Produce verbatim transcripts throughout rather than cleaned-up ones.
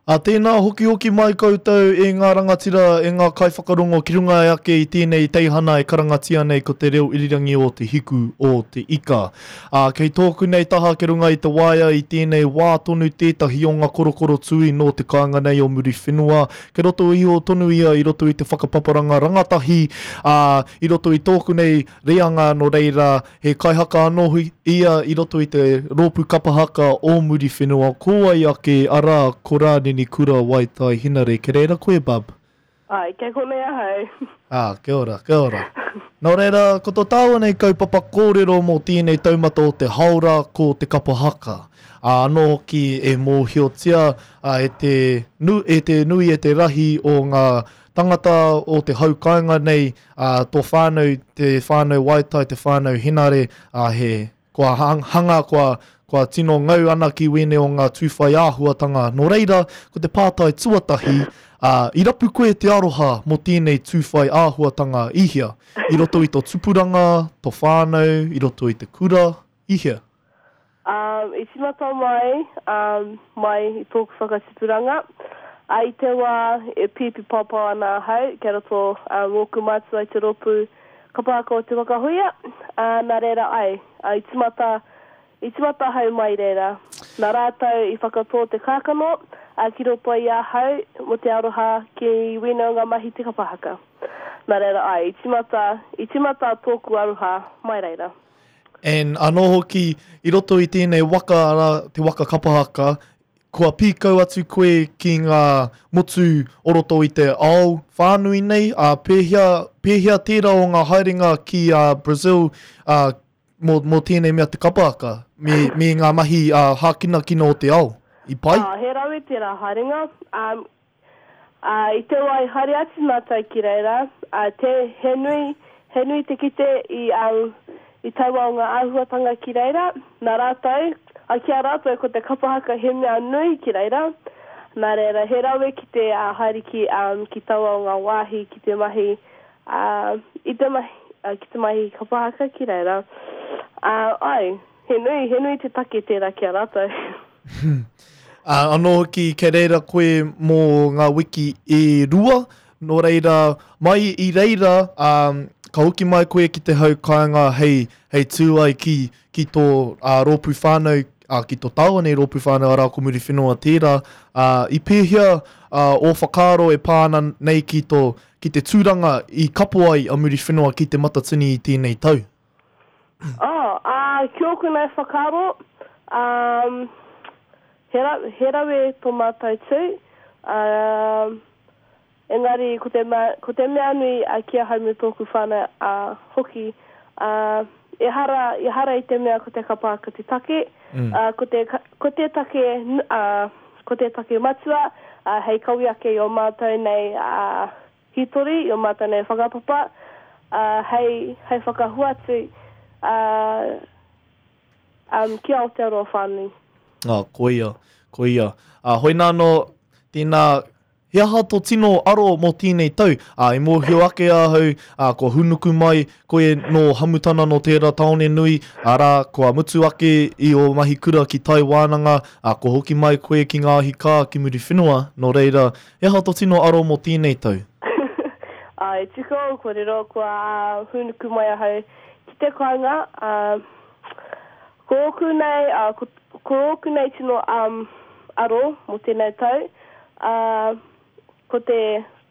A tēnā hokihoki mai koutou e ngā rangatira, e ngā kaiwhakarongo ki runga ake i tēnei teihana e karangatia nei ko te reo irirangi o te hiku o te ika. A, kei tōku nei taha ki runga i te waea i tēnei wā tonu tētahi o ngā korokoro tui nō te kāinga nei o Muriwhenua. Kei roto iho tonu ia i roto i te whakapaparanga rangatahi, a, i roto i tōku nei reanga nō reira he kaihaka anō ia i roto i te rōpū kapa haka o Muriwhenua. Ko wai ake, arā, ko Rānini Kura Waitai Hinare. Kei reira koe, bub? Ai, kei konei ahau. Ah, kia ora, kia ora. Nō reira, ko tō tāua nei kaupapa kōrero mō tēnei taumata o te haora ko te kapa haka. Ā, anō hoki e mōhiotia a, e te, nu, e te nui e te rahi o ngā tangata o te hau kāinga nei, ā, tō whānau, te whānau Waitai, te whānau Henare, ā, he, kua hanga, kua, kua tino ngau ana ki wēnei o ngā tūwhai āhuatanga. Nō reira, ko te pātai tuatahi, ā, i rapu koe te aroha mō tēnei tūwhai āhuatanga i hea? I roto i tō tupuranga, tō whānau, i roto i te kura, i hea? Um, i tīmata mai, um, mai i tōku whakatipuranga. A i te wā e pīpi pāpā ana ahau, kei roto um, ōku mātua i te rōpū kapa haka o Te Waka Huia, uh, nā reira ai, uh, i tīmata, i tīmata ahau mai reira. Nā rātou i whakatō te kākano, uh, ki roto i ahau mō te aroha ki wēnei o ngā mahi te kapa haka. Nā reira ai, i tīmata, i tīmata tōku aroha mai reira. And anō hoki, i roto i tēnei waka, arā, te waka kapa haka, kua pīkau atu koe ki ngā motu o roto i te ao whānui nei, a pēhea, pēhea tērā o ngā haerenga ki a Brazil a, mō, mō tēnei mea te kapa haka, me, me ngā mahi a, hākinakina o te ao, i pai? Ah, he rawe tērā haerenga. Um, uh, i te wā i haere atu mātou ki reira, uh, te, he nui, he nui te kite i, um, i taua o ngā āhuatanga ki reira, nā rātou, a ki a rātou ko te kapa haka he mea nui ki reira, nā reira he rawe ki te uh, haere ki, um, ki taua o ngā wāhi ki te mahi, uh, i te mahi, uh, ki te mahi kapa haka ki reira. Uh, ai, he nui, he nui te take tērā ki a rātou. Uh, anō hoki, kei reira koe mō ngā wiki e rua, nō reira, mai i reira, um, ka hoki mai koe ki te hau kāinga hei, hei tū ai ki, ki tō uh, rōpū whānau, uh, ki tō tāua nei rōpū whānau arā ko Muriwhenua tērā. Uh, i pēhea uh, ō whakaaro e pā ana nei ki, tō, ki te tūranga i kapo ai a Muriwhenua ki te Matatini i tēnei tau? Oh, uh, ki ōku nei whakaaro, um, he, ra, he rawe tō mātou tū, um, engari ko te, mea, ko te mea nui a ki ahau me tōku whānau uh, hoki, uh, ehara, ehara i te mea ko te kapa haka te take, mm. uh, ko, te, ko te take, uh, ko te take matua, uh, hei kawe ake i o mātou nei uh, hitori, i o mātou nei whakapapa, uh, hei, hei whakahuatu uh, um, ki Aotearoa whānui. Ah, koia, koia. Uh, hoina anō, tēnā, he aha tō tino aro mō tēnei tau? Ā, i mōhio ake ahau, ā, kua hūnuku mai koe nō Hamutana nō tērā tāone nui, arā, kua mutu ake i ō mahi kura ki Tai Wānanga, ā, kua hoki mai koe ki ngā ahi kā ki Muriwhenua, nō reira, he aha tō tino aro mō tēnei tau? Ā, i tika ō kōrero, kua hūnuku mai ahau ki te kāinga, ā, ko ōku nei, ā, ko, ko ōku nei tino um, aro mō tēnei tau, ā, ko te,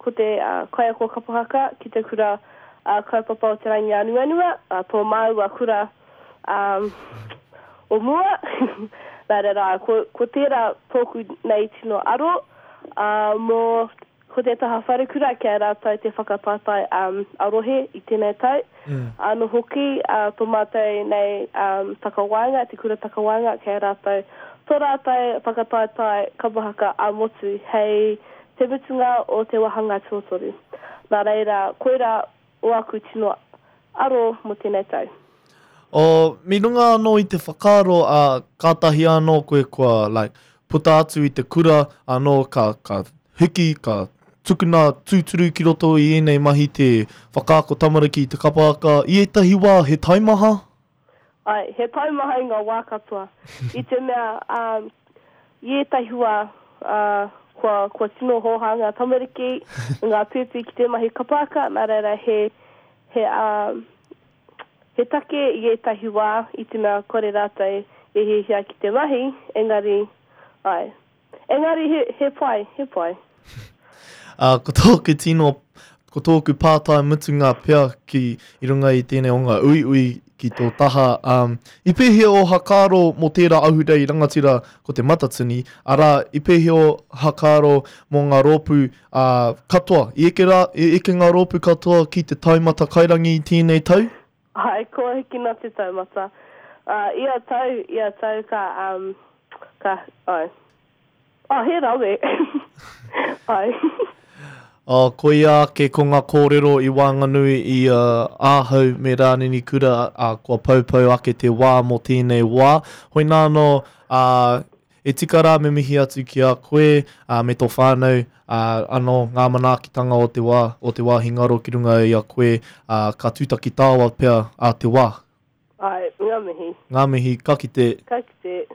ko te uh, kaiako kapa haka ki te kura uh, kaupapa o Te Rangiānuanua, uh, tō māua kura um, o mua. Nā reira, ko, ko tērā tōku nei tino aro, uh, mō ko te taha wharekura kia rātou te whakataetae um, arohe i tēnei tau. Mm. Anō hoki, uh, tō mātou nei um, takawaenga, te kura takawaenga, kia rātou tō rātou whakataetae kapa haka ā-motu hei te mutunga o te wāhanga tuatoru. Nā reira, koira o aku tino aro mō tēnei tau. O, mi runga anō i te whakaaro, a, kātahi anō koe kua like, puta atu i te kura, anō ka, ka hiki, ka tukuna tūturu ki roto i ēnei mahi te whakaako tamariki i te kapa haka. I ētahi wā, he taimaha? Ai, he taimaha i ngā wā katoa. I te mea, um, i ētahi wā, uh, kua, kua tino hōhā ngā tamariki, ngā pēpi ki te mahi kapa haka, nā reira he, he, um, he take i ētahi wā i te mea kore rātou e hiahia ki te mahi, engari, ai. Engari he, he pai, he pai. Uh, ko tōku tino, ko tōku pātai mutunga pea ki i runga i tēnei o ngā uiui ki tō taha. Um, i pēhea o hakaaro mō tērā ahurei rangatira ko Te Matatini, arā, i pēhea o hakaaro mō ngā rōpū uh, katoa? I eke, rā, i eke ngā rōpū katoa ki te taumata kairangi i tēnei tau? Ai, kua hikina te taumata. Uh, ia tau, ia tau ka, um, ka, ai. Oh, he rawe. Ai. Oh, koia ake ko ngā kōrero i waenganui i uh, ahau me Rānini Kura, uh, kua paupau ake te wā mō tēnei wā. Hoi nāno, uh, e tika rā me mihi atu ki a koe uh, me tō whānau, uh, anō ngā manaakitanga o te wā, o te wāhi ngaro ki runga i a koe, uh, ka tūtaki tāua pea a te wā. Ai, ngā mihi. Ngā mihi, ka kite. Ka kite.